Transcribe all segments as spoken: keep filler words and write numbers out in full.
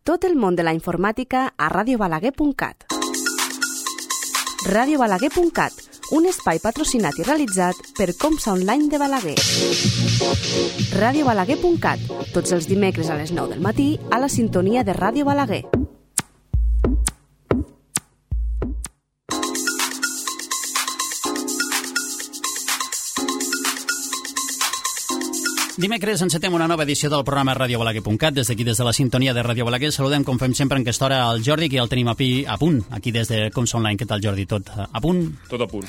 Tot el món de la informàtica a radio balaguer punt cat. radio balaguer punt cat, un espai patrocinat i realitzat per Comsa Online de Balaguer. radio balaguer punt cat, tots els dimecres a les nou del matí a la sintonia de Ràdio Balaguer. Dimecres encetem una nova edició del programa radio balaguer punt cat. Des d'aquí, des de la sintonia de Ràdio Balaguer, saludem, com fem sempre en aquesta hora, el Jordi, que el tenim a, pi, a punt, aquí des de Comsa Online. Què tal, Jordi? Tot a punt? Tot a punt.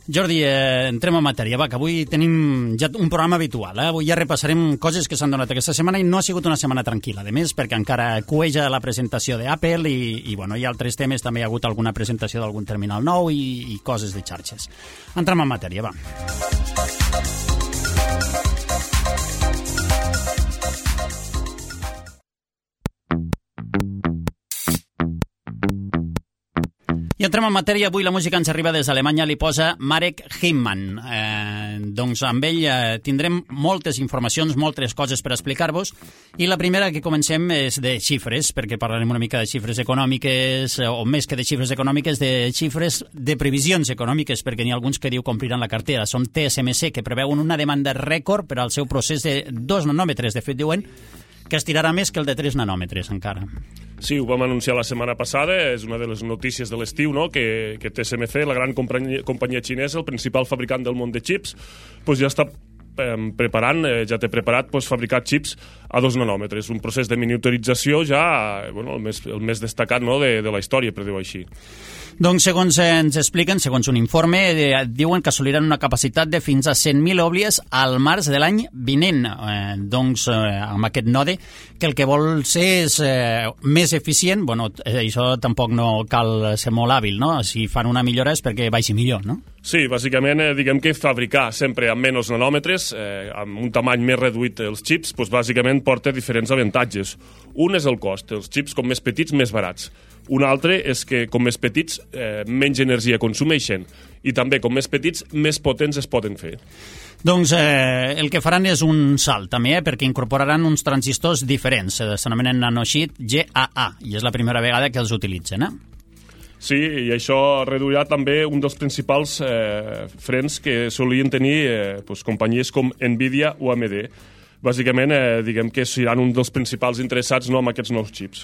Jordi, eh, entrem en matèria. Va, que avui tenim ja un programa habitual. Eh? Avui ja repassarem coses que s'han donat aquesta setmana i no ha sigut una setmana tranquil·la. A més, perquè encara cueja la presentació d'Apple i, i bueno, hi ha altres temes. També hi ha hagut alguna presentació d'algun terminal nou i, i coses de xarxes. Entrem en matèria, va. I entrem en matèria. Avui la música ens arriba des d'Alemanya, li posa Marek Himman. Eh, doncs amb ell eh, tindrem moltes informacions, moltes coses per explicar-vos, i la primera que comencem és de xifres, perquè parlarem una mica de xifres econòmiques, o més que de xifres econòmiques, de xifres de previsions econòmiques, perquè n'hi ha alguns que diu que ompliran la cartera. Són T S M C, que preveuen una demanda rècord per al seu procés de dos nanòmetres. De fet, diuen que estirarà més que el de tres nanòmetres encara. Sí, ho vam anunciar la setmana passada, és una de les notícies de l'estiu, no? que, que T S M C, la gran companyia, companyia xinesa, el principal fabricant del món de xips, pues ja està eh, preparant, eh, ja té preparat pues, fabricar xips a dos nanòmetres, un procés de miniaturització ja bueno, el, més, el més destacat, no? de, de la història, per dir-ho així. Doncs, segons ens expliquen, segons un informe, eh, diuen que assoliran una capacitat de fins a cent mil òblies al març de l'any vinent. Eh, doncs, eh, amb aquest node, que el que vol ser és eh, més eficient. Bueno, eh, això tampoc no cal ser molt hàbil, no? Si fan una millora és perquè baixi millor, no? Sí, bàsicament, eh, diguem que fabricar sempre amb menys nanòmetres, eh, amb un tamany més reduït els xips, doncs bàsicament porta diferents avantatges. Un és el cost, els xips com més petits, més barats. Un altre és que, com més petits, eh, menys energia consumeixen. I també, com més petits, més potents es poden fer. Doncs eh, el que faran és un salt, també, eh, perquè incorporaran uns transistors diferents. Eh, S'anomenen nanosheet G A A, i és la primera vegada que els utilitzen, eh? Sí, i això reduirà també un dels principals eh, frens que solien tenir eh, doncs, companyies com Nvidia o A M D. Bàsicament, eh, diguem que seran un dels principals interessats no, amb aquests nous xips.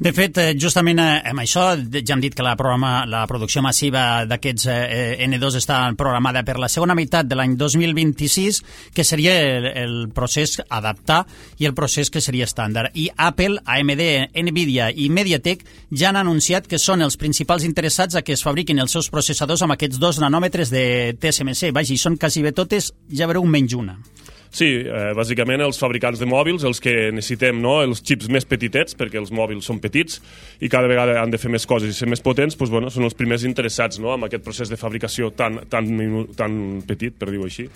De fet, eh, justament eh, amb això, ja hem dit que la, programa, la producció massiva d'aquests eh, N dos està programada per la segona meitat de l'any dos mil vint-i-sis, que seria el, el procés adaptar i el procés que seria estàndard. I Apple, A M D, Nvidia i MediaTek ja han anunciat que són els principals interessats a que es fabriquin els seus processadors amb aquests dos nanòmetres de T S M C. Vaja, i són quasi bé totes, ja veureu, menys una. Sí, eh, bàsicament els fabricants de mòbils, els que necessitem, no? Els xips més petitets, perquè els mòbils són petits i cada vegada han de fer més coses i ser més potents, doncs, bueno, són els primers interessats, no? Amb aquest procés de fabricació tan, tan, tan petit, per dir-ho així.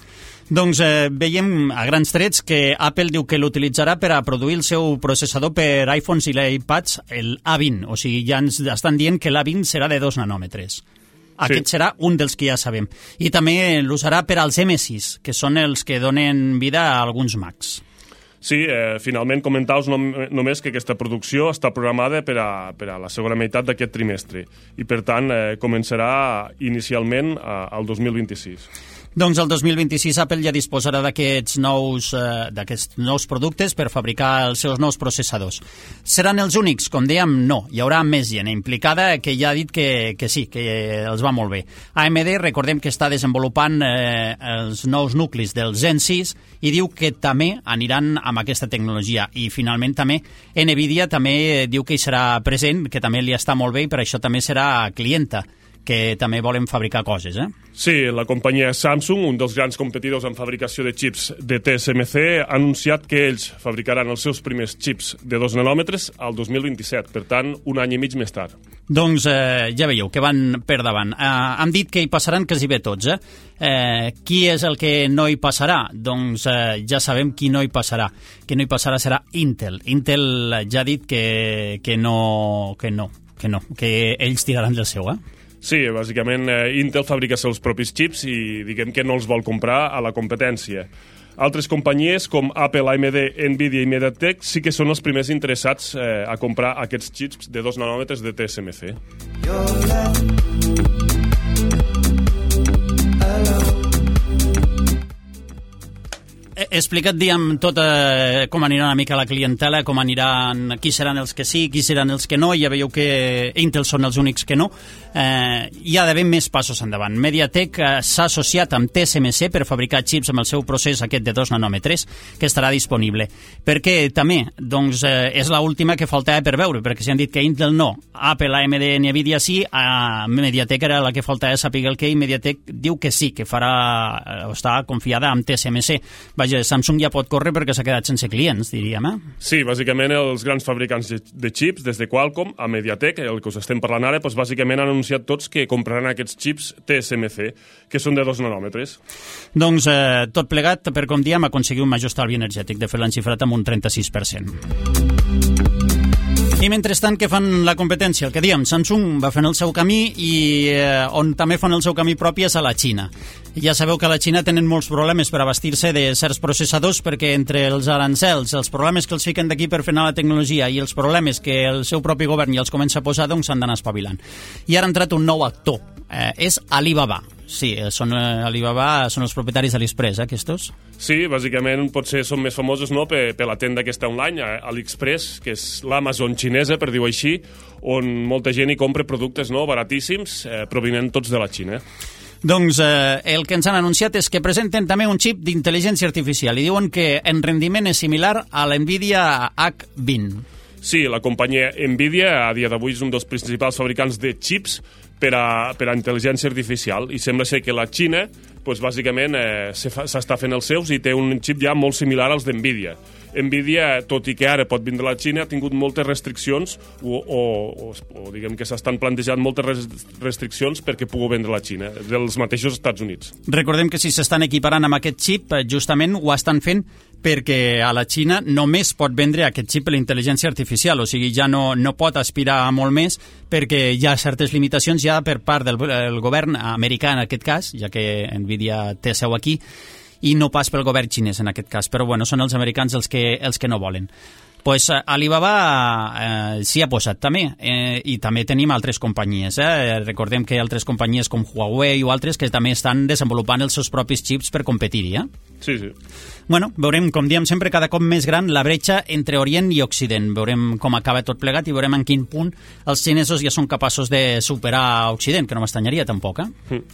Doncs eh, veiem a grans trets que Apple diu que l'utilitzarà per a produir el seu processador per iPhones i l'iPads, el A vint. O sigui, ja ens estan dient que l'A vint serà de dos nanòmetres. Aquest sí. Serà un dels que ja sabem. I també l'usarà per als M sis, que són els que donen vida a alguns Macs. Sí, eh, finalment comentaus nom només que aquesta producció està programada per a, per a la segona meitat d'aquest trimestre i, per tant, eh, començarà inicialment a, al dos mil vint-i-sis. Doncs el dos mil vint-i-sis Apple ja disposarà d'aquests nous, eh, d'aquests nous productes per fabricar els seus nous processadors. Seran els únics? Com dèiem, no. Hi haurà més gent implicada que ja ha dit que, que sí, que els va molt bé. A M D, recordem que està desenvolupant eh, els nous nuclis del Zen sis i diu que també aniran amb aquesta tecnologia. I finalment també Nvidia també diu que hi serà present, que també li està molt bé i per això també serà clienta, que també volen fabricar coses, eh? Sí, la companyia Samsung, un dels grans competidors en fabricació de xips de T S M C, ha anunciat que ells fabricaran els seus primers xips de dos nanòmetres al dos mil vint-i-set, per tant, un any i mig més tard. Doncs eh, ja veieu que van per davant. Eh, han dit que hi passaran quasi bé tots, eh? eh? Qui és el que no hi passarà? Doncs eh, ja sabem qui no hi passarà. Qui no hi passarà serà Intel. Intel ja ha dit que, que, no, que no, que no, que ells tiraran del seu, eh? Sí, bàsicament eh, Intel fabrica els seus propis xips i diguem que no els vol comprar a la competència. Altres companyies com Apple, A M D, Nvidia i MediaTek sí que són els primers interessats eh, a comprar aquests xips de dos nanòmetres de T S M C. He explicat, diguem, tot eh, com anirà una mica la clientela, com aniran, qui seran els que sí, qui seran els que no. Ja veieu que Intel són els únics que no. Eh, hi ha d'haver més passos endavant. MediaTek eh, s'ha associat amb T S M C per fabricar xips amb el seu procés aquest de dos nanòmetres, que estarà disponible. Perquè també, doncs, eh, és l'última que faltava per veure, perquè si han dit que Intel no, Apple, A M D, Nvidia sí, a MediaTek era la que faltava saber el que, i MediaTek diu que sí, que farà, o està confiada amb T S M C. Vaja, Samsung ja pot córrer perquè s'ha quedat sense clients, diríem, eh? Sí, bàsicament els grans fabricants de xips, des de Qualcomm a MediaTek, el que us estem parlant ara, doncs bàsicament han anunciat tots que compraran aquests xips T S M C, que són de dos nanòmetres. Doncs eh, tot plegat, per com diem, aconseguir un major estalvi energètic. De fet, l'han xifrat amb un trenta-sis per cent. I mentrestant, què fan la competència? El que diem, Samsung va fent el seu camí i eh, on també fan el seu camí propi és a la Xina. Ja sabeu que a la Xina tenen molts problemes per abastir-se de certs processadors perquè entre els arancels, els problemes que els fiquen d'aquí per fer anar la tecnologia i els problemes que el seu propi govern ja els comença a posar, doncs s'han d'anar espavilant. I ara ha entrat un nou actor, eh, és Alibaba. Sí, són eh, Alibaba, són els propietaris d'AliExpress, eh, aquests? Sí, bàsicament potser són més famosos no, per, per la tenda aquesta online, AliExpress, que és l'Amazon xinesa, per dir-ho així, on molta gent hi compra productes no, baratíssims, eh, provinent tots de la Xina. Doncs eh, el que ens han anunciat és que presenten també un xip d'intel·ligència artificial i diuen que en rendiment és similar a l'Nvidia H vint. Sí, la companyia Nvidia a dia d'avui és un dels principals fabricants de xips per a, per a intel·ligència artificial i sembla ser que la Xina doncs, bàsicament eh, s'està fent els seus i té un xip ja molt similar als d'Nvidia. Nvidia, tot i que ara pot vindre a la Xina, ha tingut moltes restriccions o, o, o, o diguem que s'estan plantejant moltes restriccions perquè pugui vendre a la Xina, dels mateixos Estats Units. Recordem que si s'estan equiparant amb aquest xip, justament ho estan fent perquè a la Xina només pot vendre aquest xip per la intel·ligència artificial, o sigui, ja no, no pot aspirar a molt més perquè hi ha certes limitacions ja per part del el govern americà en aquest cas, ja que Nvidia té seu aquí, i no pas pel govern xinès en aquest cas, però bueno, són els americans els que, els que no volen. Pues Alibaba eh, s'hi ha posat també, eh, i també tenim altres companyies. Eh? Recordem que hi ha altres companyies com Huawei o altres que també estan desenvolupant els seus propis xips per competir-hi. Eh? Sí, sí. Bueno, veurem, com diem sempre, cada cop més gran la bretxa entre Orient i Occident. Veurem com acaba tot plegat i veurem en quin punt els xinesos ja són capaços de superar Occident, que no m'estanyaria tampoc. Eh? Mm.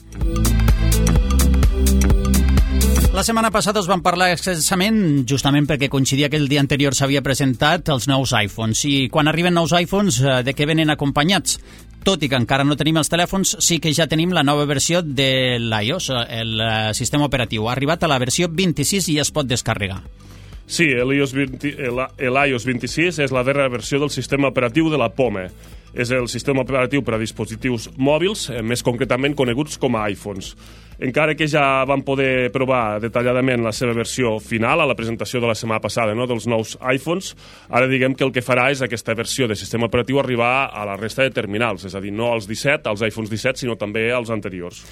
La setmana passada us vam parlar extensament, justament perquè coincidia que el dia anterior s'havia presentat els nous iPhones. I quan arriben nous iPhones, de què venen acompanyats? Tot i que encara no tenim els telèfons, sí que ja tenim la nova versió de l'iOS, el sistema operatiu. Ha arribat a la versió vint-i-sis i ja es pot descarregar. Sí, l'iOS vint-i-sis és la darrera versió del sistema operatiu de la POME. És el sistema operatiu per a dispositius mòbils, més concretament coneguts com a iPhones. Encara que ja vam poder provar detalladament la seva versió final a la presentació de la setmana passada, no?, dels nous iPhones, ara diguem que el que farà és aquesta versió de sistema operatiu arribar a la resta de terminals, és a dir, no als disset, als iPhones disset, sinó també als anteriors.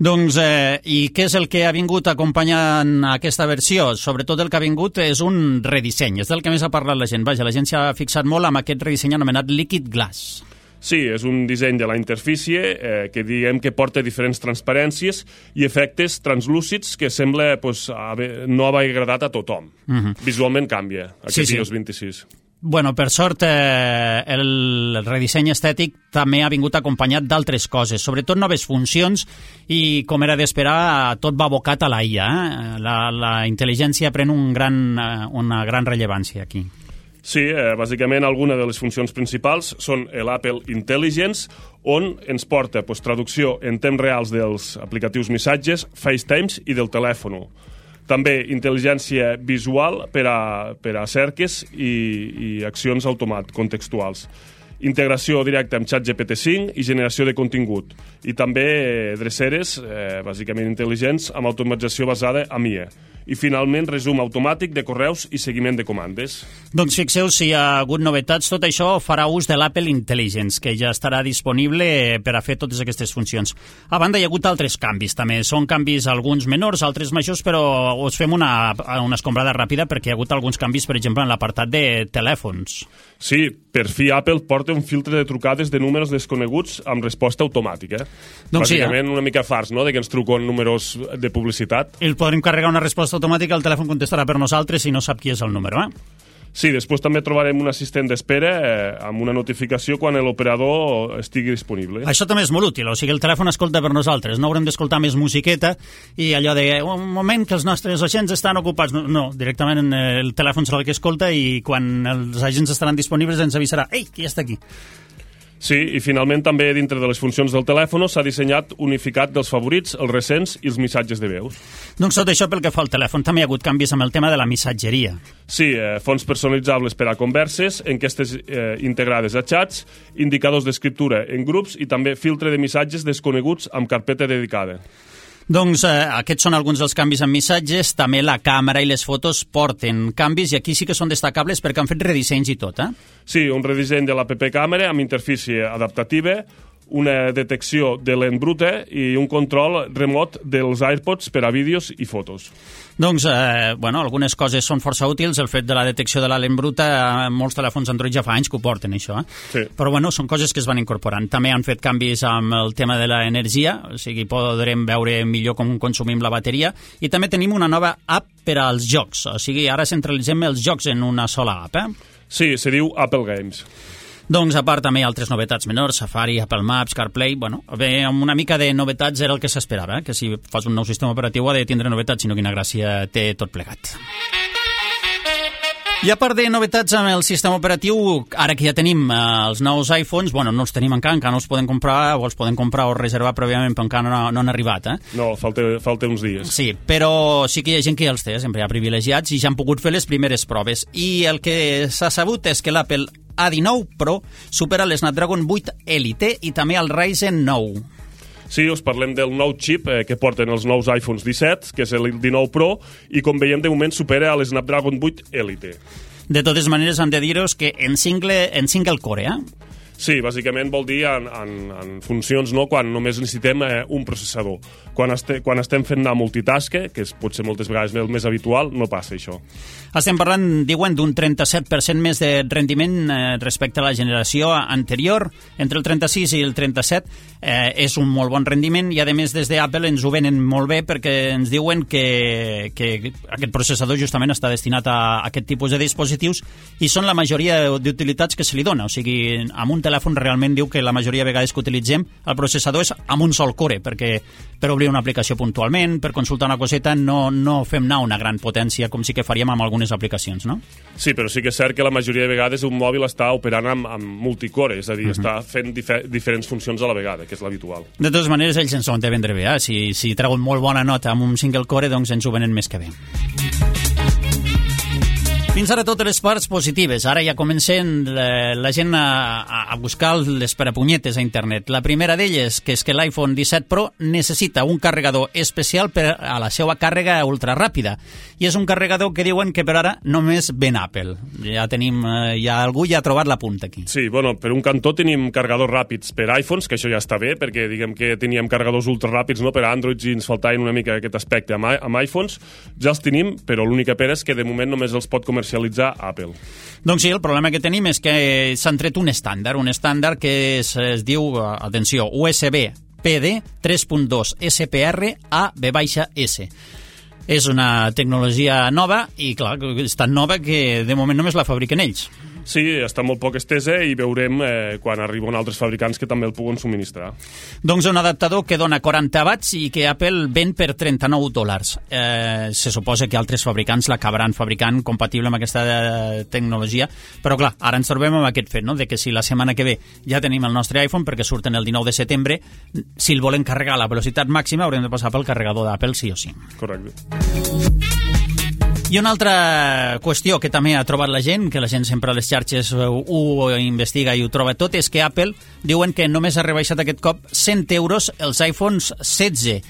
Doncs, eh, i què és el que ha vingut acompanyant aquesta versió? Sobretot el que ha vingut és un redisseny, és del que més ha parlat la gent. Vaja, la gent s'ha fixat molt amb aquest redisseny anomenat Liquid Glass. Sí, és un disseny de la interfície eh, que diguem que porta diferents transparències i efectes translúcids que sembla pues, haver, no haver agradat a tothom. Uh-huh. Visualment canvia, aquest sí, iOS sí. vint-i-sis. Bueno, per sort, eh, el redisseny estètic també ha vingut acompanyat d'altres coses, sobretot noves funcions i, com era d'esperar, tot va abocat a la I A. Eh? La, la intel·ligència pren un gran, una gran rellevància aquí. Sí, eh, bàsicament alguna de les funcions principals són l'Apple Intelligence, on ens porta pues, traducció en temps reals dels aplicatius missatges, FaceTimes i del telèfon. També intel·ligència visual per a, per a cerques i, i accions automat contextuals. Integració directa amb ChatGPT cinc i generació de contingut. I també eh, dreceres, eh, bàsicament intel·ligents, amb automatització basada en I A. i finalment resum automàtic de correus i seguiment de comandes. Doncs fixeu si hi ha hagut novetats, tot això farà ús de l'Apple Intelligence, que ja estarà disponible per a fer totes aquestes funcions. A banda, hi ha hagut altres canvis també, són canvis alguns menors, altres majors, però us fem una, una escombrada ràpida perquè hi ha hagut alguns canvis, per exemple, en l'apartat de telèfons. Sí, per fi Apple porta un filtre de trucades de números desconeguts amb resposta automàtica. Doncs Bàsicament sí, eh? una mica fars, no?, de que ens truquen números de publicitat. I el podrem carregar una resposta automàtica, el telèfon contestarà per nosaltres si no sap qui és el número, eh? Sí, després també trobarem un assistent d'espera eh, amb una notificació quan l'operador estigui disponible. Això també és molt útil, o sigui, el telèfon escolta per nosaltres, no haurem d'escoltar més musiqueta i allò de, un moment que els nostres agents estan ocupats. No, no directament el telèfon serà el que escolta i quan els agents estaran disponibles ens avisarà, ei, qui està aquí? Sí, i finalment també dintre de les funcions del telèfon s'ha dissenyat unificat dels favorits, els recents i els missatges de veus. Doncs tot això pel que fa al telèfon també hi ha hagut canvis amb el tema de la missatgeria. Sí, eh, fonts personalitzables per a converses, enquestes eh, integrades a xats, indicadors d'escriptura en grups i també filtre de missatges desconeguts amb carpeta dedicada. Doncs eh, aquests són alguns dels canvis en missatges, també la càmera i les fotos porten canvis i aquí sí que són destacables perquè han fet redissenys i tot, eh? Sí, un redisseny de l'app càmera amb interfície adaptativa, una detecció de lent bruta i un control remot dels AirPods per a vídeos i fotos. Doncs, eh, bueno, algunes coses són força útils. El fet de la detecció de la lent bruta, eh, molts telèfons Android ja fa anys que ho porten, això. Eh? Sí. Però, bueno, són coses que es van incorporant. També han fet canvis amb el tema de l'energia, o sigui, podrem veure millor com consumim la bateria. I també tenim una nova app per als jocs. O sigui, ara centralitzem els jocs en una sola app, eh? Sí, se diu Apple Games. Doncs, a part, també hi ha altres novetats menors, Safari, Apple Maps, CarPlay. Bueno, bé, amb una mica de novetats era el que s'esperava, eh? Que si fas un nou sistema operatiu ha de tindre novetats, sinó quina gràcia té tot plegat. I a part de novetats amb el sistema operatiu, ara que ja tenim eh, els nous iPhones, bueno, no els tenim encara, encara no els podem comprar, o els podem comprar o reservar prèviament, però encara no, no han arribat, eh? No, falta, falta uns dies. Sí, però sí que hi ha gent que ja els té, sempre hi ha privilegiats, i ja han pogut fer les primeres proves. I el que s'ha sabut és que l'Apple A dinou Pro supera l'Snapdragon vuit Elite i també el Ryzen nou. Sí, us parlem del nou xip eh, que porten els nous iPhones disset, que és el dinou Pro, i com veiem de moment supera l'Snapdragon vuit Elite. De totes maneres, hem de dir-vos que en single, en single core, eh? Sí, bàsicament vol dir en, en, en funcions, no?, quan només necessitem eh, un processador. Quan, este, quan estem fent anar multitask, que és potser moltes vegades el més habitual, no passa això. Estem parlant, diuen, d'un trenta-set per cent més de rendiment eh, respecte a la generació anterior. Entre el trenta-sis i el trenta-set eh, és un molt bon rendiment i, a més, des d'Apple ens ho venen molt bé perquè ens diuen que, que aquest processador justament està destinat a aquest tipus de dispositius i són la majoria d'utilitats que se li dona. O sigui, amb un telèfon realment diu que la majoria de vegades que utilitzem el processador és amb un sol core, perquè per obrir una aplicació puntualment, per consultar una coseta, no, no fem anar una gran potència com sí que faríem amb algunes aplicacions, no? Sí, però sí que és cert que la majoria de vegades un mòbil està operant amb, amb multicore, és a dir, uh-huh. està fent difer diferents funcions a la vegada, que és l'habitual. De totes maneres, ells ens ho han de vendre bé, eh? Si, si treuen molt bona nota amb un single core, doncs ens ho venen més que bé. Fins ara totes les parts positives. Ara ja comencen la, la gent a, a buscar les parapunyetes a internet. La primera d'elles, que és que l'iPhone disset Pro necessita un carregador especial per a la seva càrrega ultraràpida. I és un carregador que diuen que per ara només ven Apple. Ja tenim, ja algú ja ha trobat la punta aquí. Sí, bueno, per un cantó tenim carregadors ràpids per iPhones, que això ja està bé, perquè diguem que teníem carregadors ultraràpids, no?, per a Androids i ens faltaven una mica aquest aspecte amb, amb iPhones. Ja els tenim, però l'única pena és que de moment només els pot comercialitzar Apple. Doncs sí, el problema que tenim és que s'han tret un estàndard, un estàndard que es, es diu, atenció, U S B P D tres punt dos S P R A V S. És una tecnologia nova i, clar, és tan nova que de moment només la fabriquen ells. Sí, està molt poc estesa i veurem eh, quan arriben altres fabricants que també el puguen subministrar. Doncs un adaptador que dona quaranta watts i que Apple ven per trenta-nou dòlars. Eh, se suposa que altres fabricants l'acabaran fabricant compatible amb aquesta eh, tecnologia, però clar, ara ens trobem amb aquest fet, no?, de que si la setmana que ve ja tenim el nostre iPhone, perquè surten el dinou de setembre, si el volen carregar a la velocitat màxima haurem de passar pel carregador d'Apple sí o sí. Correcte. I una altra qüestió que també ha trobat la gent, que la gent sempre a les xarxes ho, ho investiga i ho troba tot, és que Apple diuen que només ha rebaixat aquest cop cent euros els iPhones setze.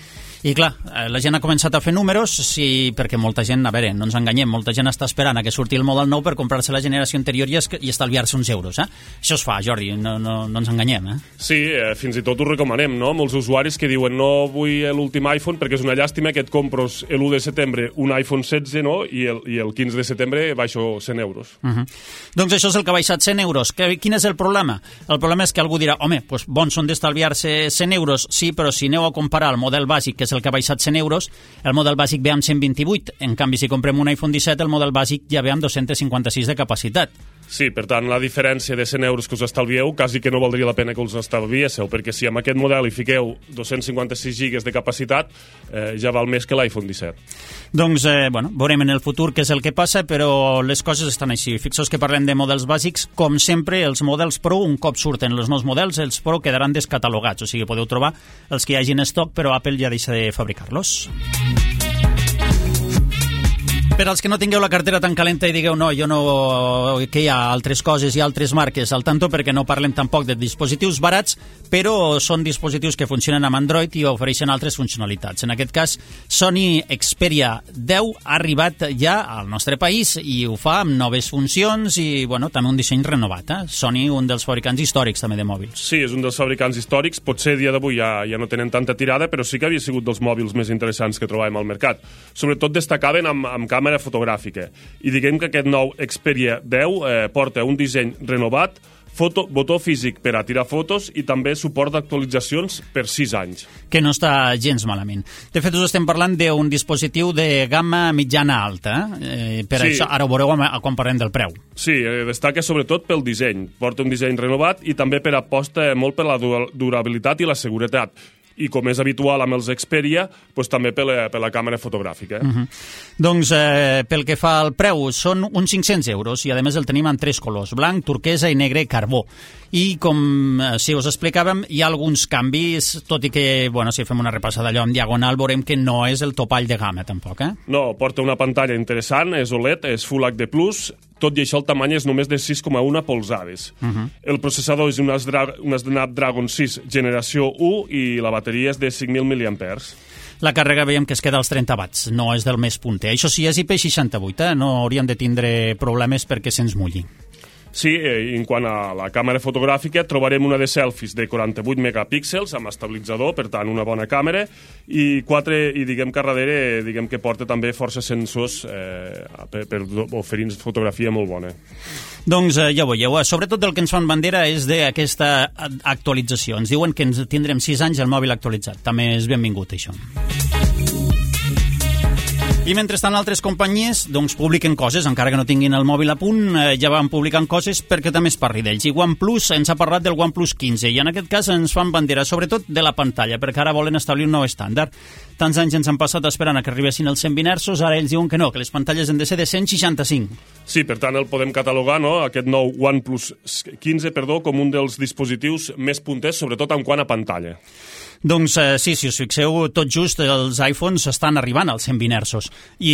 I clar, la gent ha començat a fer números, sí, perquè molta gent, a veure, no ens enganyem, molta gent està esperant a que surti el model nou per comprar-se la generació anterior i, es, i estalviar-se uns euros, eh? Això es fa, Jordi, no, no, no ens enganyem, eh? Sí, eh, fins i tot ho recomanem, no? Molts usuaris que diuen no vull l'últim iPhone perquè és una llàstima que et compros l'u de setembre un iPhone setze, no? I el, i el quinze de setembre baixo cent euros. Uh -huh. Doncs això és el que ha baixat cent euros. Que, quin és el problema? El problema és que algú dirà, home, doncs bons són d'estalviar-se cent euros, sí, però si aneu a comparar el model bàsic, que és el que ha baixat cent euros, el model bàsic ve amb cent vint-i-vuit. En canvi, si comprem un iPhone disset, el model bàsic ja ve amb dos-cents cinquanta-sis de capacitat. Sí, per tant, la diferència de cent euros que us estalvieu quasi que no valdria la pena que us estalviéssiu, perquè si amb aquest model hi fiqueu dos-cents cinquanta-sis gigas de capacitat, eh, ja val més que l'iPhone disset. Doncs, eh, bueno, veurem en el futur què és el que passa, però les coses estan així. Fixeu que parlem de models bàsics, com sempre, els models Pro, un cop surten els nous models, els Pro quedaran descatalogats, o sigui, podeu trobar els que hi hagi en estoc, però Apple ja deixa de fabricar-los. Per als que no tingueu la cartera tan calenta i digueu no, jo no, que hi ha altres coses i altres marques al tanto, perquè no parlem tampoc de dispositius barats, però són dispositius que funcionen amb Android i ofereixen altres funcionalitats. En aquest cas, Sony Xperia deu ha arribat ja al nostre país i ho fa amb noves funcions i, bueno, també un disseny renovat. Eh? Sony, un dels fabricants històrics també de mòbils. Sí, és un dels fabricants històrics. Potser a dia d'avui ja, ja no tenen tanta tirada, però sí que havia sigut dels mòbils més interessants que trobàvem al mercat. Sobretot destacaven amb, amb càmera fotogràfica. I diguem que aquest nou Xperia deu eh, porta un disseny renovat, foto, botó físic per a tirar fotos i també suport d'actualitzacions per sis anys. Que no està gens malament. De fet, us estem parlant d'un dispositiu de gamma mitjana-alta. Eh? Per sí. Això, ara ho veureu quan parlem del preu. Sí, eh, destaca sobretot pel disseny. Porta un disseny renovat i també per aposta molt per la durabilitat i la seguretat. I com és habitual amb els Xperia, doncs també per la, per la càmera fotogràfica. Eh? Uh-huh. Doncs eh, pel que fa al preu, són uns cinc-cents euros i a més el tenim en tres colors, blanc, turquesa i negre carbó. I com eh, si us explicàvem, hi ha alguns canvis, tot i que, bueno, si fem una repassada allò en diagonal, veurem que no és el topall de gamma, tampoc, eh? No, porta una pantalla interessant, és O L E D, és Full H D plus, tot i això el tamany és només de sis coma u polzades. Uh-huh. El processador és un Snapdragon sis generació u i la bateria és de cinc mil miliampers. La càrrega veiem que es queda als trenta watts, no és del més punter. Això sí, és I P seixanta vuit, eh? No hauríem de tindre problemes perquè se'ns mulli. Sí, eh, en quant a la càmera fotogràfica, trobarem una de selfies de quaranta-vuit megapíxels amb estabilitzador, per tant, una bona càmera, i quatre, i diguem que a darrere, diguem que porta també força sensors eh, per, per oferir fotografia molt bona. Doncs eh, ja ho veieu, sobretot el que ens fan bandera és d'aquesta actualització. Ens diuen que ens tindrem sis anys el mòbil actualitzat. També és benvingut, això. I mentrestant altres companyies doncs, publiquen coses, encara que no tinguin el mòbil a punt, eh, ja van publicant coses perquè també es parli d'ells. I OnePlus ens ha parlat del OnePlus quinze i en aquest cas ens fan bandera, sobretot de la pantalla, perquè ara volen establir un nou estàndard. Tants anys ens han passat esperant a que arribessin els cent vint hertzos, ara ells diuen que no, que les pantalles han de ser de cent seixanta-cinc. Sí, per tant el podem catalogar, no?, aquest nou OnePlus quinze, perdó, com un dels dispositius més punters, sobretot en quant a pantalla. Doncs eh, sí, si us fixeu, tot just els iPhones estan arribant als cent vint hertzos i,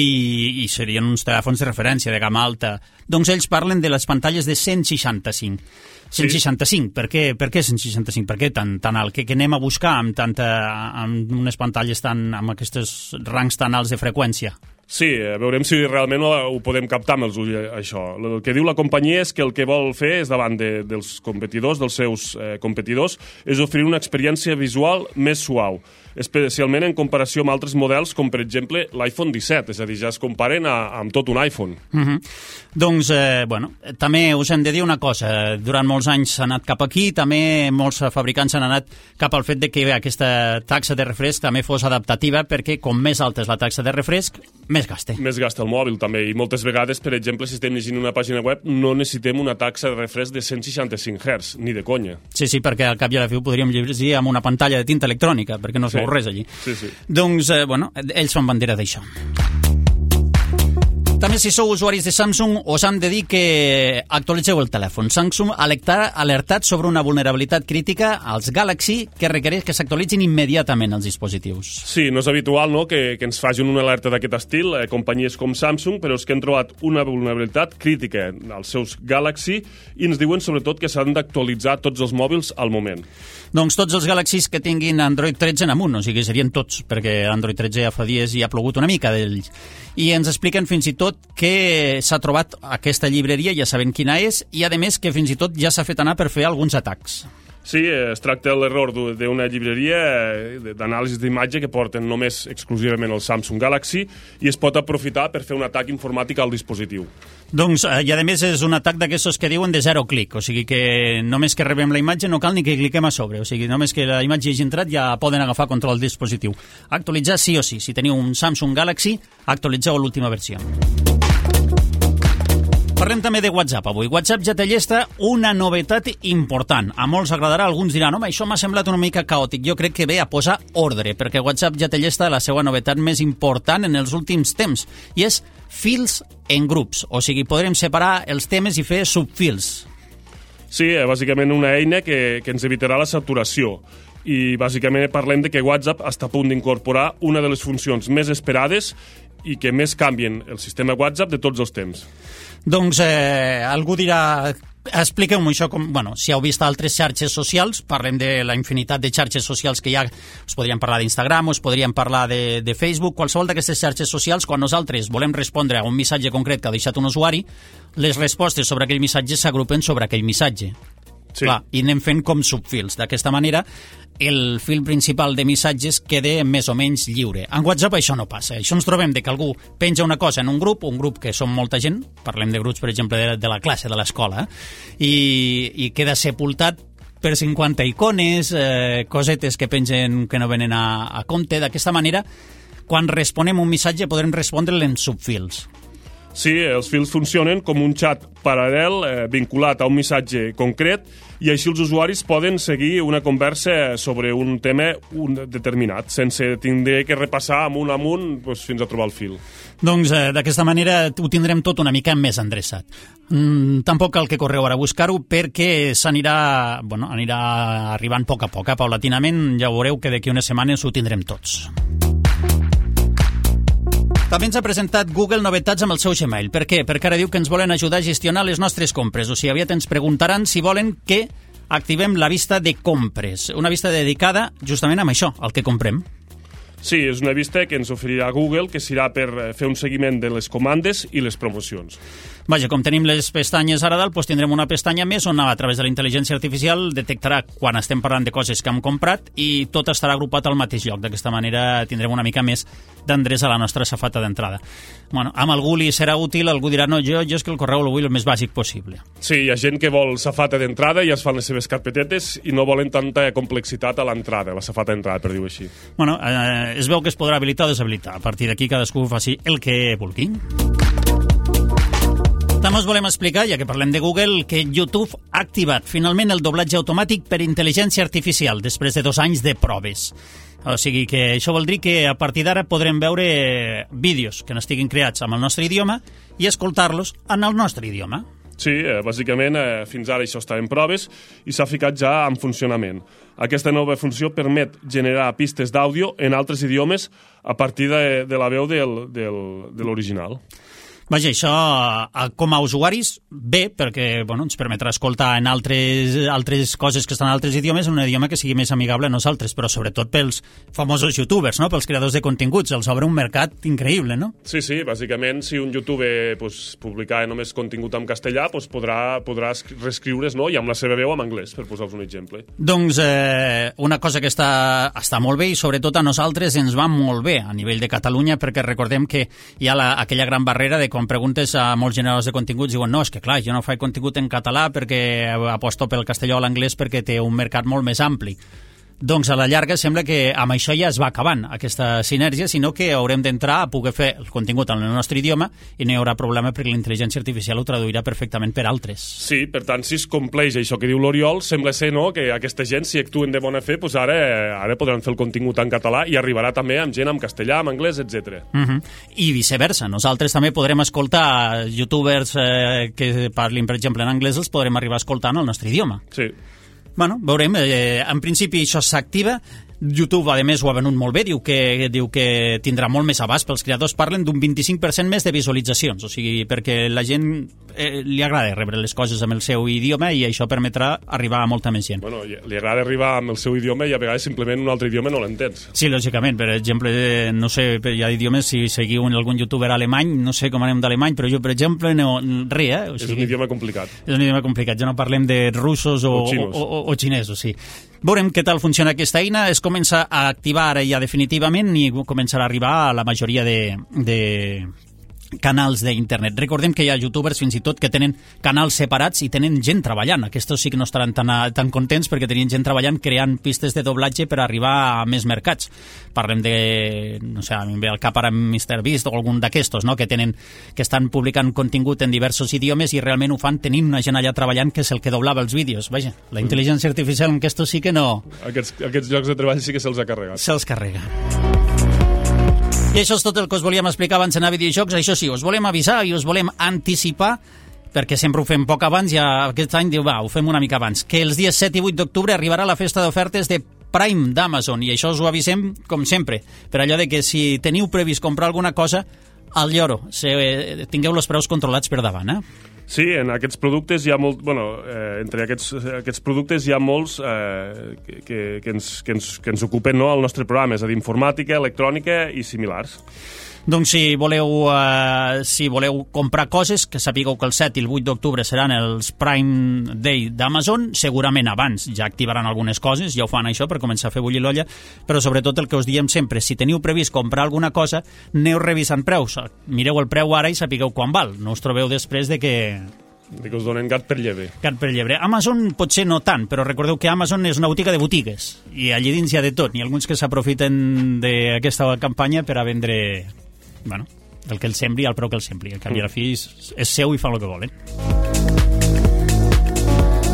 i serien uns telèfons de referència de gamma alta. Doncs ells parlen de les pantalles de cent seixanta-cinc. cent seixanta-cinc, sí. per, què, per què cent seixanta-cinc? Per què tan, tan alt? Què, què anem a buscar amb, tanta, amb unes pantalles tan, amb aquests rangs tan alts de freqüència? Sí, veurem si realment ho podem captar amb els ulls, això. El que diu la companyia és que el que vol fer és davant de, dels competidors, dels seus eh, competidors, és oferir una experiència visual més suau, especialment en comparació amb altres models, com per exemple l'iPhone disset, és a dir, ja es comparen a, amb tot un iPhone. Uh-huh. Doncs, eh, bueno, també us hem de dir una cosa, durant molts anys s'ha anat cap aquí, també molts fabricants han anat cap al fet de que aquesta taxa de refresc també fos adaptativa, perquè com més alta és la taxa de refresc, més gasta. Més gasta el mòbil, també, i moltes vegades, per exemple, si estem llegint una pàgina web, no necessitem una taxa de refresc de cent seixanta-cinc hertz, ni de conya. Sí, sí, perquè al cap i a la fi ho podríem llegir amb una pantalla de tinta electrònica, perquè no es sí. veu res allí. Sí, sí. Doncs, eh, bueno, ells fan bandera d'això. També si sou usuaris de Samsung us han de dir que actualitzeu el telèfon. Samsung ha alertat sobre una vulnerabilitat crítica als Galaxy que requereix que s'actualitzin immediatament els dispositius. Sí, no és habitual, no?, que, que ens facin una alerta d'aquest estil, eh, companyies com Samsung, però és que han trobat una vulnerabilitat crítica als seus Galaxy i ens diuen sobretot que s'han d'actualitzar tots els mòbils al moment. Doncs tots els Galaxys que tinguin Android tretze en amunt, o sigui, serien tots, perquè Android tretze ja fa dies i ha plogut una mica d'ells. I ens expliquen fins i tot que s'ha trobat aquesta llibreria, ja sabem quina és, i a més que fins i tot ja s'ha fet anar per fer alguns atacs. Sí, es tracta de l'error d'una llibreria d'anàlisi d'imatge que porten només exclusivament el Samsung Galaxy i es pot aprofitar per fer un atac informàtic al dispositiu. Doncs, i a més és un atac d'aquestos que diuen de zero clic, o sigui que només que rebem la imatge no cal ni que cliquem a sobre, o sigui, només que la imatge hagi entrat ja poden agafar control del dispositiu. Actualitzar sí o sí, si teniu un Samsung Galaxy, actualitzeu l'última versió. Parlem també de WhatsApp avui. WhatsApp ja té llesta una novetat important. A molts agradarà, alguns diran, home, això m'ha semblat una mica caòtic. Jo crec que ve a posar ordre, perquè WhatsApp ja té llesta la seva novetat més important en els últims temps, i és fils en grups. O sigui, podrem separar els temes i fer subfils. Sí, bàsicament una eina que, que ens evitarà la saturació. I bàsicament parlem de que WhatsApp està a punt d'incorporar una de les funcions més esperades i que més canvien el sistema WhatsApp de tots els temps. Doncs eh, algú dirà, expliqueu-m'ho això, com, bueno, si heu vist altres xarxes socials, parlem de la infinitat de xarxes socials que hi ha, us podríem parlar d'Instagram, us podríem parlar de, de Facebook, qualsevol d'aquestes xarxes socials, quan nosaltres volem respondre a un missatge concret que ha deixat un usuari, les respostes sobre aquell missatge s'agrupen sobre aquell missatge. Sí. Clar, i anem fent com subfils. D'aquesta manera, el fil principal de missatges queda més o menys lliure. En WhatsApp això no passa. Això ens trobem de que algú penja una cosa en un grup, un grup que som molta gent, parlem de grups, per exemple, de, de la classe, de l'escola, i, i queda sepultat per cinquanta icones, eh, cosetes que pengen que no venen a, a compte. D'aquesta manera, quan responem un missatge, podrem respondre'l en subfils. Sí, els fils funcionen com un xat paral·lel eh, vinculat a un missatge concret i així els usuaris poden seguir una conversa sobre un tema un determinat, sense tindre que repassar amunt amunt doncs, fins a trobar el fil. Doncs eh, d'aquesta manera ho tindrem tot una mica més endreçat. Mm, tampoc cal que correu ara a buscar-ho perquè s'anirà, bueno, anirà arribant a poc a poc, eh? Paulatinament ja veureu que d'aquí unes setmanes ho tindrem tots. També ens ha presentat Google novetats amb el seu Gmail. Per què? Perquè ara diu que ens volen ajudar a gestionar les nostres compres. O sigui, aviat ens preguntaran si volen que activem la vista de compres. Una vista dedicada justament amb això, al que comprem. Sí, és una vista que ens oferirà Google, que serà per fer un seguiment de les comandes i les promocions. Vaja, com tenim les pestanyes ara dalt, doncs tindrem una pestanya més on a través de la intel·ligència artificial detectarà quan estem parlant de coses que hem comprat i tot estarà agrupat al mateix lloc. D'aquesta manera tindrem una mica més d'endreç a la nostra safata d'entrada. Bueno, amb algú li serà útil, algú dirà, no, jo, jo és que el correu el vull el més bàsic possible. Sí, hi ha gent que vol safata d'entrada i es fan les seves carpetetes i no volen tanta complexitat a l'entrada, la safata d'entrada, per dir-ho així. Bueno, eh, es veu que es podrà habilitar o deshabilitar. A partir d'aquí cadascú faci el que vulgui. També us volem explicar, ja que parlem de Google, que YouTube ha activat finalment el doblatge automàtic per intel·ligència artificial després de dos anys de proves. O sigui que això vol dir que a partir d'ara podrem veure vídeos que no estiguin creats amb el nostre idioma i escoltar-los en el nostre idioma. Sí, eh, bàsicament eh, fins ara això està en proves i s'ha ficat ja en funcionament. Aquesta nova funció permet generar pistes d'àudio en altres idiomes a partir de, de la veu del, del, de l'original. Vaja, això com a usuaris bé, perquè bueno, ens permetrà escoltar en altres, altres coses que estan en altres idiomes, en un idioma que sigui més amigable a nosaltres, però sobretot pels famosos youtubers, no? Pels creadors de continguts, els obre un mercat increïble, no? Sí, sí, bàsicament si un youtuber pues, publica només contingut en castellà pues, podrà, podrà reescriure's, no? I amb la seva veu en anglès, per posar-vos un exemple. Doncs eh, una cosa que està, està molt bé i sobretot a nosaltres ens va molt bé a nivell de Catalunya, perquè recordem que hi ha la, aquella gran barrera de quan preguntes a molts generadors de continguts diuen no, és que clar, jo no faig contingut en català perquè aposto pel castellà o l'anglès perquè té un mercat molt més ampli. doncs a la llarga sembla que amb això ja es va acabant aquesta sinergia, sinó que haurem d'entrar a poder fer el contingut en el nostre idioma i no hi haurà problema perquè la intel·ligència artificial ho traduirà perfectament per altres. Sí, per tant, si es compleix això que diu l'Oriol, sembla ser no, que aquesta gent, si actuen de bona fe, doncs ara, ara podran fer el contingut en català i arribarà també amb gent en castellà, en anglès, etcètera. Uh -huh. I viceversa. Nosaltres també podrem escoltar youtubers eh, que parlin, per exemple, en anglès, els podrem arribar a escoltar en el nostre idioma. Sí. Bueno, veurem. Eh, en principi això s'activa. YouTube, a més, ho ha venut molt bé, diu que, diu que tindrà molt més abast pels creadors, parlen d'un vint-i-cinc per cent més de visualitzacions, o sigui, perquè la gent eh, li agrada rebre les coses amb el seu idioma i això permetrà arribar a molta més gent. Bueno, li agrada arribar amb el seu idioma i a vegades simplement un altre idioma no l'entens. Sí, lògicament, per exemple, no sé, hi ha idiomes, si seguiu algun youtuber alemany, no sé com anem d'alemany, però jo, per exemple, no, res, eh? O sigui, és un idioma complicat. És un idioma complicat, ja no parlem de russos o, o, o, o, o xinesos, sí. Veurem què tal funciona aquesta eina, es comença a activar ara ja definitivament i començarà a arribar a la majoria de, de canals d'internet. Recordem que hi ha youtubers fins i tot que tenen canals separats i tenen gent treballant. Aquests sí que no estaran tan, tan contents perquè tenien gent treballant creant pistes de doblatge per arribar a més mercats. Parlem de, no sé, a mi em ve al cap ara MrBeast o algun d'aquestos, no?, que tenen, que estan publicant contingut en diversos idiomes i realment ho fan tenint una gent allà treballant que és el que doblava els vídeos. Vaja, la intel·ligència artificial en aquests sí que no... Aquests, aquests llocs de treball sí que se'ls ha carregat. Se'ls carrega. I això és tot el que us volíem explicar abans d'anar a videojocs. Això sí, us volem avisar i us volem anticipar, perquè sempre ho fem poc abans, i aquest any diu, va, ho fem una mica abans, que els dies set i vuit d'octubre arribarà la festa d'ofertes de Prime d'Amazon, i això us ho avisem com sempre, per allò de que si teniu previst comprar alguna cosa, al lloro, se, tingueu els preus controlats per davant, eh? Sí, en aquests productes hi ha molt... Bueno, eh, entre aquests, aquests productes hi ha molts eh, que, que, ens, que, ens, que ens ocupen, no, el nostre programa, és a dir, informàtica, electrònica i similars. Doncs si voleu, eh, si voleu comprar coses, que sapigueu que el set i el vuit d'octubre seran els Prime Day d'Amazon, segurament abans ja activaran algunes coses, ja ho fan això per començar a fer bullir l'olla, però sobretot el que us diem sempre, si teniu previst comprar alguna cosa, aneu revisant preus, mireu el preu ara i sapigueu quan val, no us trobeu després de que... De que us donen gat per llebre. Gat per llebre. Amazon potser no tant, però recordeu que Amazon és una botiga de botigues, i allí dins hi ha de tot, n'hi ha alguns que s'aprofiten d'aquesta campanya per a vendre... Bueno, el que el sembri al preu que el sembri. El canvi a la fi és, és seu i fan el que volen.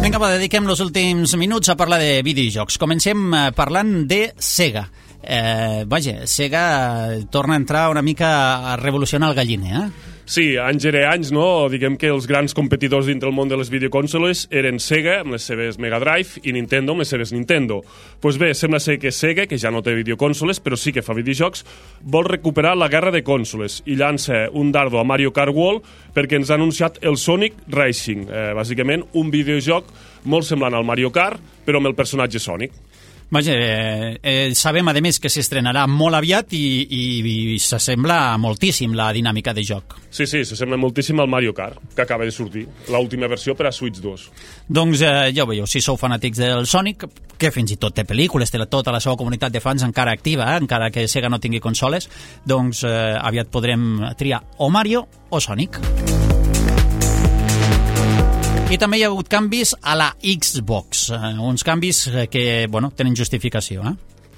Vinga, va, dediquem els últims minuts a parlar de videojocs. Comencem parlant de Sega. Eh, vaja, Sega torna a entrar una mica a revolucionar el galliner, eh? Sí, anys ere anys, no? Diguem que els grans competidors dintre el món de les videoconsoles eren Sega, amb les seves Mega Drive, i Nintendo, amb les seves Nintendo. Doncs pues bé, sembla ser que Sega, que ja no té videoconsoles, però sí que fa videojocs, vol recuperar la guerra de consoles i llança un dardo a Mario Kart World perquè ens ha anunciat el Sonic Racing. Eh, bàsicament, un videojoc molt semblant al Mario Kart, però amb el personatge Sonic. Vaja, eh, eh, sabem, a més, que s'estrenarà molt aviat i, i, i s'assembla moltíssim la dinàmica de joc. Sí, sí, s'assembla moltíssim al Mario Kart, que acaba de sortir, l'última versió per a Switch dos. Doncs eh, ja ho veieu, si sou fanàtics del Sonic, que fins i tot té pel·lícules, té tota la seva comunitat de fans encara activa, eh, encara que Sega no tingui consoles, doncs eh, aviat podrem triar o Mario o Sonic. I també hi ha hagut canvis a la Xbox, eh, uns canvis que, bueno, tenen justificació, eh?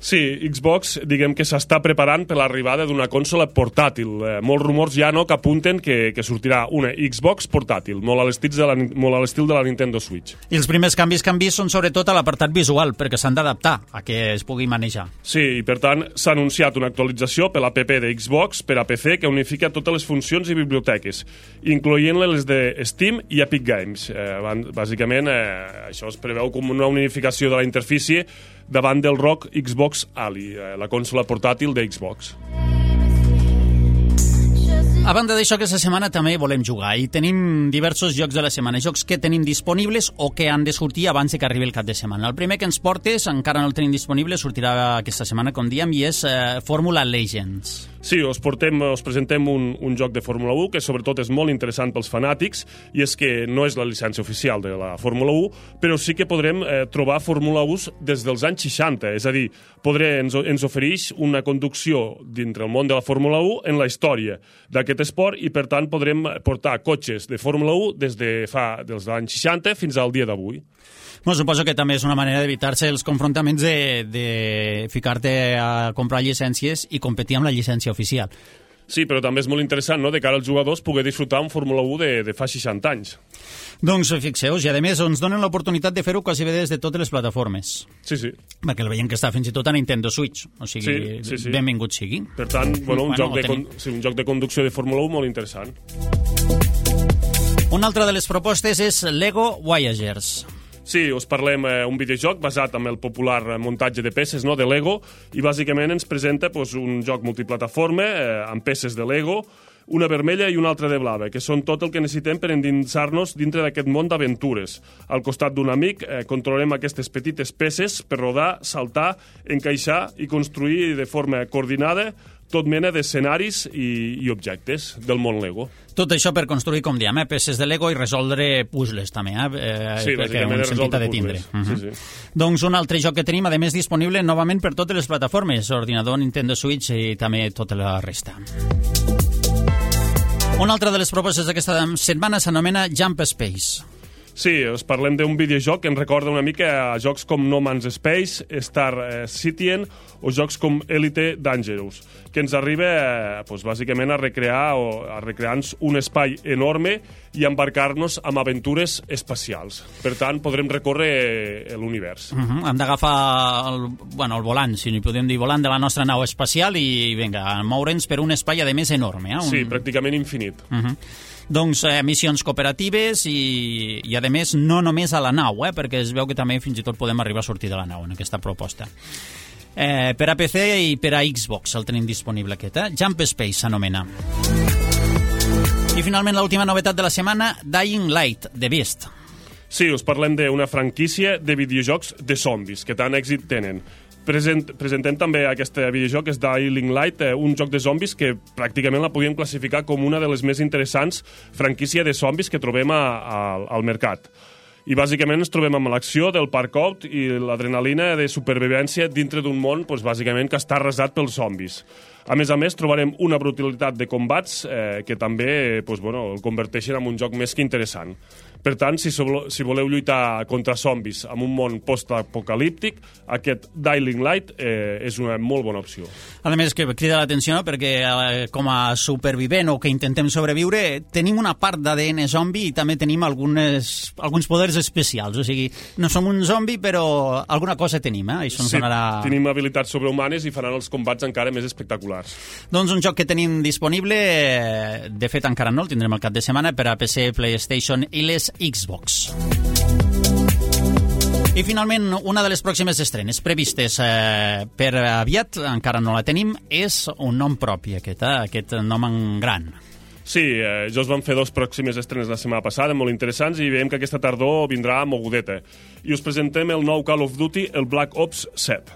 Sí, Xbox, diguem que s'està preparant per l'arribada d'una consola portàtil. Eh, molts rumors ja no que apunten que, que sortirà una Xbox portàtil, molt a l'estil de, la, molt a l'estil de la Nintendo Switch. I els primers canvis que han vist són sobretot a l'apartat visual, perquè s'han d'adaptar a que es pugui manejar. Sí, i per tant s'ha anunciat una actualització per l'app de Xbox per a P C que unifica totes les funcions i biblioteques, incloent-les les de Steam i Epic Games. Eh, bàsicament, eh, això es preveu com una unificació de la interfície davant del R O G Xbox Ali, la consola portàtil de Xbox. A banda d'això, aquesta setmana també volem jugar i tenim diversos jocs de la setmana, jocs que tenim disponibles o que han de sortir abans de que arribi el cap de setmana. El primer que ens portes, encara no el tenim disponible, sortirà aquesta setmana, com diem, i és eh, Fórmula Legends. Sí, us, portem, us presentem un, un joc de Fórmula u que sobretot és molt interessant pels fanàtics, i és que no és la llicència oficial de la Fórmula u, però sí que podrem eh, trobar Fórmula u des dels anys seixanta, és a dir, podré, ens, ens ofereix una conducció dintre el món de la Fórmula u en la història d'aquest esport, i per tant podrem portar cotxes de Fórmula u des de fa dels anys seixanta fins al dia d'avui. Bueno, suposo que també és una manera d'evitar-se els confrontaments de, de ficar-te a comprar llicències i competir amb la llicència oficial. Sí, però també és molt interessant, no?, de cara als jugadors poder disfrutar un Fórmula u de, de fa seixanta anys. Doncs fixeu-vos, i a més ens donen l'oportunitat de fer-ho quasi bé des de totes les plataformes. Sí, sí. Perquè el veiem que està fins i tot a Nintendo Switch, o sigui, sí, sí, sí. benvingut sigui. Per tant, bueno, un, bueno, joc de con... sí, un joc de conducció de Fórmula u molt interessant. Una altra de les propostes és Lego Voyagers. Sí, us parlem eh, un videojoc basat en el popular muntatge de peces, no?, de Lego, i bàsicament ens presenta pues, un joc multiplataforma eh, amb peces de Lego, una vermella i una altra de blava, que són tot el que necessitem per endinsar-nos dintre d'aquest món d'aventures. Al costat d'un amic eh, controlarem aquestes petites peces per rodar, saltar, encaixar i construir de forma coordinada tot mena d'escenaris i, i objectes del món Lego. Tot això per construir, com diem, eh, peces de Lego i resoldre puzzles, també, eh? Sí, bàsicament un sentit de tindre. Uh -huh. sí, sí. Doncs un altre joc que tenim, a més, disponible novament per totes les plataformes, ordinador, Nintendo Switch i també tota la resta. Una altra de les propostes d'aquesta setmana s'anomena Jump Space. Sí, us parlem d'un videojoc que ens recorda una mica a jocs com No Man's Space, Star Citizen o jocs com Elite Dangerous, que ens arriba eh, pues, bàsicament a recrear o a recrear-nos un espai enorme i embarcar-nos amb aventures espacials. Per tant, podrem recórrer l'univers. Uh -huh. Hem d'agafar el, bueno, el volant, si n'hi podem dir volant, de la nostra nau espacial i, vinga, moure'ns per un espai, a més, enorme. Eh? Un... Sí, pràcticament infinit. Uh -huh. Doncs eh, missions cooperatives i, i, a més, no només a la nau, eh, perquè es veu que també fins i tot podem arribar a sortir de la nau en aquesta proposta. Eh, per a P C i per a Xbox el tenim disponible aquest, eh? Jump Space s'anomena. I finalment l'última novetat de la setmana, Dying Light, The Beast. Sí, us parlem d'una franquícia de videojocs de zombis, que tant èxit tenen. Present, presentem també aquest videojoc, que és Dying Light, eh, un joc de zombis que pràcticament la podíem classificar com una de les més interessants franquícies de zombis que trobem a, a, al mercat. I bàsicament ens trobem amb l'acció del parkour i l'adrenalina de supervivència dintre d'un món, doncs, bàsicament, que està arrasat pels zombis. A més a més, trobarem una brutalitat de combats eh, que també doncs, bueno, el converteixen en un joc més que interessant. Per tant, si, si voleu lluitar contra zombis en un món post-apocalíptic, aquest Dying Light eh, és una molt bona opció. A més, que crida l'atenció, no? Perquè eh, com a supervivent o que intentem sobreviure, tenim una part d'A D N zombi i també tenim algunes, alguns poders especials. O sigui, no som un zombi, però alguna cosa tenim, eh? Això ens sí, donarà... tenim habilitats sobrehumanes i faran els combats encara més espectaculars. Doncs un joc que tenim disponible, de fet encara no, el tindrem al cap de setmana, per a P C, PlayStation i les Xbox. I finalment, una de les pròximes estrenes previstes eh, per aviat, encara no la tenim, és un nom propi, aquest, eh? aquest nom en gran. Sí, eh, ja us vam fer dos pròximes estrenes la setmana passada, molt interessants, i veiem que aquesta tardor vindrà mogudeta. I us presentem el nou Call of Duty, el Black Ops set.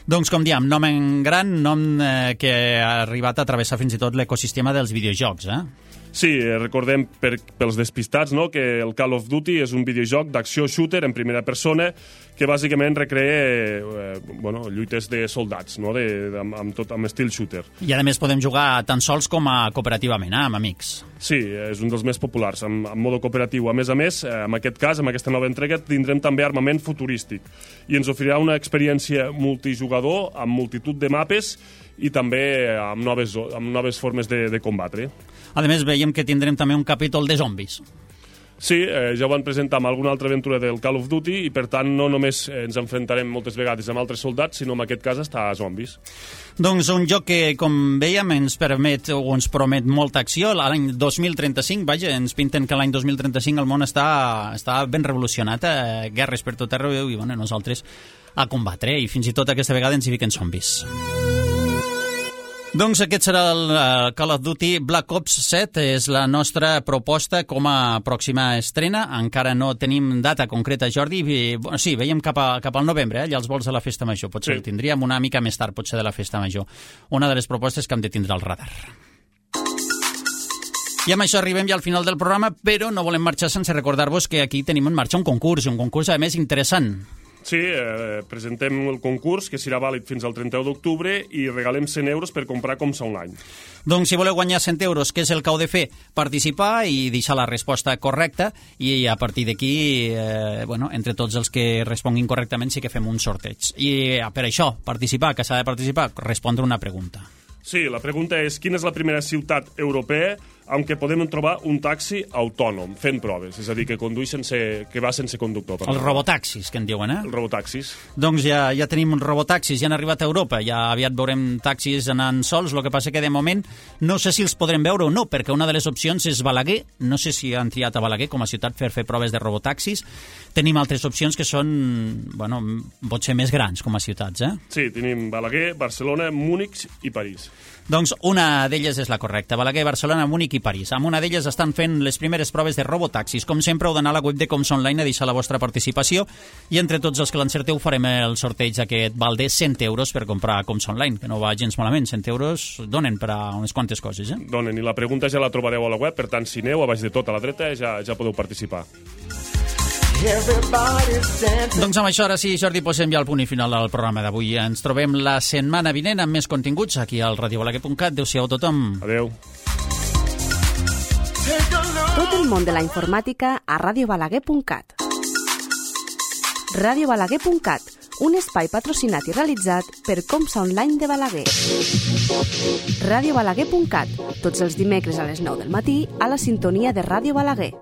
Doncs, com diem, nom en gran, nom eh, que ha arribat a travessar fins i tot l'ecosistema dels videojocs, eh? Sí, recordem per, pels despistats, no?, que el Call of Duty és un videojoc d'acció shooter en primera persona que bàsicament recrea eh, bueno, lluites de soldats, no?, de, de, amb, tot, amb estil shooter. I a més podem jugar tant sols com a cooperativament, eh, amb amics. Sí, és un dels més populars, en, en modo cooperatiu. A més a més, eh, en aquest cas, en aquesta nova entrega, tindrem també armament futurístic i ens oferirà una experiència multijugador amb multitud de mapes i també amb noves, amb noves formes de, de combatre. A més, veiem que tindrem també un capítol de zombis. Sí, eh, ja ho van presentar amb alguna altra aventura del Call of Duty i, per tant, no només ens enfrontarem moltes vegades amb altres soldats, sinó en aquest cas està a zombis. Doncs un joc que, com veiem, ens permet o ens promet molta acció. L'any dos mil trenta-cinc, vaja, ens pinten que l'any dos mil trenta-cinc el món està, està ben revolucionat, eh? Guerres per tot arreu i, bueno, nosaltres a combatre, i fins i tot aquesta vegada ens hi fiquen zombis. Doncs aquest serà el uh, Call of Duty Black Ops set, és la nostra proposta com a pròxima estrena. Encara no tenim data concreta, Jordi. I, bueno, sí, veiem cap, a, cap al novembre, eh? Ja els vols de la Festa Major. Potser sí. El tindríem una mica més tard, potser de la Festa Major. Una de les propostes que hem de tindre al radar. I amb això arribem ja al final del programa, però no volem marxar sense recordar-vos que aquí tenim en marxa un concurs, un concurs, a més, interessant. Sí, eh, presentem el concurs, que serà vàlid fins al trenta-u d'octubre, i regalem cent euros per comprar Comsa Online. Doncs si voleu guanyar cent euros, què és el que heu de fer? Participar i deixar la resposta correcta, i a partir d'aquí, eh, bueno, entre tots els que responguin correctament sí que fem un sorteig. I per això, participar, que s'ha de participar, respondre una pregunta. Sí, la pregunta és quina és la primera ciutat europea en què podem trobar un taxi autònom, fent proves, és a dir, que condueix sense, que va sense conductor. Els robotaxis, que en diuen, eh? Els robotaxis. Doncs ja, ja tenim robotaxis, ja han arribat a Europa, ja aviat veurem taxis anant sols, el que passa que de moment no sé si els podrem veure o no, perquè una de les opcions és Balaguer, no sé si han triat a Balaguer com a ciutat per fer proves de robotaxis. Tenim altres opcions que són, bueno, potser més grans com a ciutats, eh? Sí, tenim Balaguer, Barcelona, Múnich i París. Doncs una d'elles és la correcta, Balaguer, Barcelona, Múnich i París. Amb una d'elles estan fent les primeres proves de robotaxis. Com sempre, heu d'anar a la web de Comsa Online a deixar la vostra participació i entre tots els que l'encerteu farem el sorteig aquest val de cent euros per comprar Comsa Online, que no va gens malament. cent euros donen per a unes quantes coses, eh? Donen, i la pregunta ja la trobareu a la web, per tant, si aneu a baix de tot a la dreta ja, ja podeu participar. Doncs amb això, ara sí, Jordi, posem ja el punt i final al programa d'avui. Ens trobem la setmana vinent amb més continguts aquí al radio balaguer punt cat. Adéu-siau a tothom. Adéu. Tot el món de la informàtica a radio balaguer punt cat. radio balaguer punt cat, un espai patrocinat i realitzat per Comsa Online de Balaguer. radio balaguer punt cat, tots els dimecres a les nou del matí a la sintonia de Ràdio Balaguer.